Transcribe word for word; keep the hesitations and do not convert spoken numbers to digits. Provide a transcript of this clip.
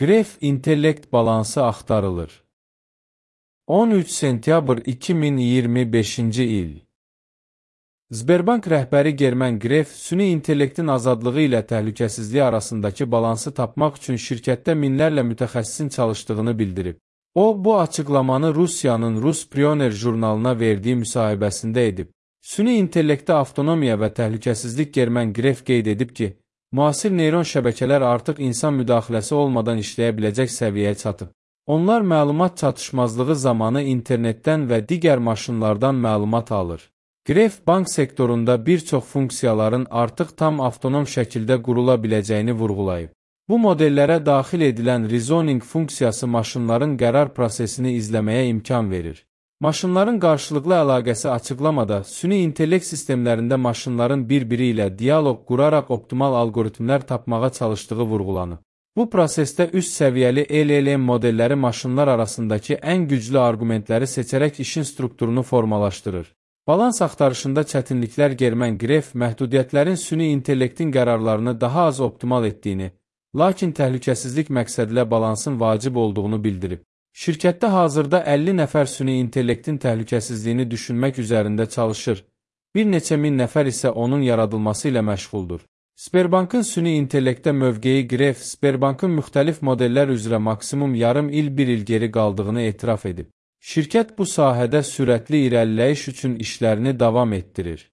Gref intellekt balansı axtarılır. on üç sentyabr iki min iyirmi beşinci il. Sberbank rəhbəri Germen Gref, süni intellektin azadlığı ilə təhlükəsizliyi arasındakı balansı tapmaq üçün şirkətdə minlərlə mütəxəssisin çalışdığını bildirib. O, bu açıqlamanı Rusiyanın Rus Pioner jurnalına verdiyi müsahibəsində edib. Süni intellektdə avtonomiya və təhlükəsizlik Germen Gref qeyd edib ki, müasir neyron şəbəkələr artıq insan müdaxiləsi olmadan işləyə biləcək səviyyəyə çatıb. Onlar məlumat çatışmazlığı zamanı internetdən və digər maşınlardan məlumat alır. Gref, bank sektorunda bir çox funksiyaların artıq tam avtonom şəkildə qurula biləcəyini vurğulayıb. Bu modellərə daxil edilən reasoning funksiyası maşınların qərar prosesini izləməyə imkan verir. Maşınların qarşılıqlı əlaqəsi açıqlamada süni intellekt sistemlərində maşınların bir-biri ilə diyaloq quraraq optimal algoritmlər tapmağa çalışdığı vurğulanıb. Bu prosesdə üst səviyyəli L L M modelləri maşınlar arasındakı ən güclü arqumentləri seçərək işin strukturunu formalaşdırır. Balans axtarışında çətinliklər Germen Gref məhdudiyyətlərin süni intellektin qərarlarını daha az optimal etdiyini, lakin təhlükəsizlik məqsədilə balansın vacib olduğunu bildirib. Şirkətdə hazırda əlli nəfər süni intellektin təhlükəsizliyini düşünmək üzərində çalışır, bir neçə min nəfər isə onun yaradılması ilə məşğuldur. Sberbankın süni intellektdə mövqeyi Gref, Sberbankın müxtəlif modellər üzrə maksimum yarım il bir il geri qaldığını etiraf edib. Şirkət bu sahədə sürətli irəliləyiş üçün işlərini davam etdirir.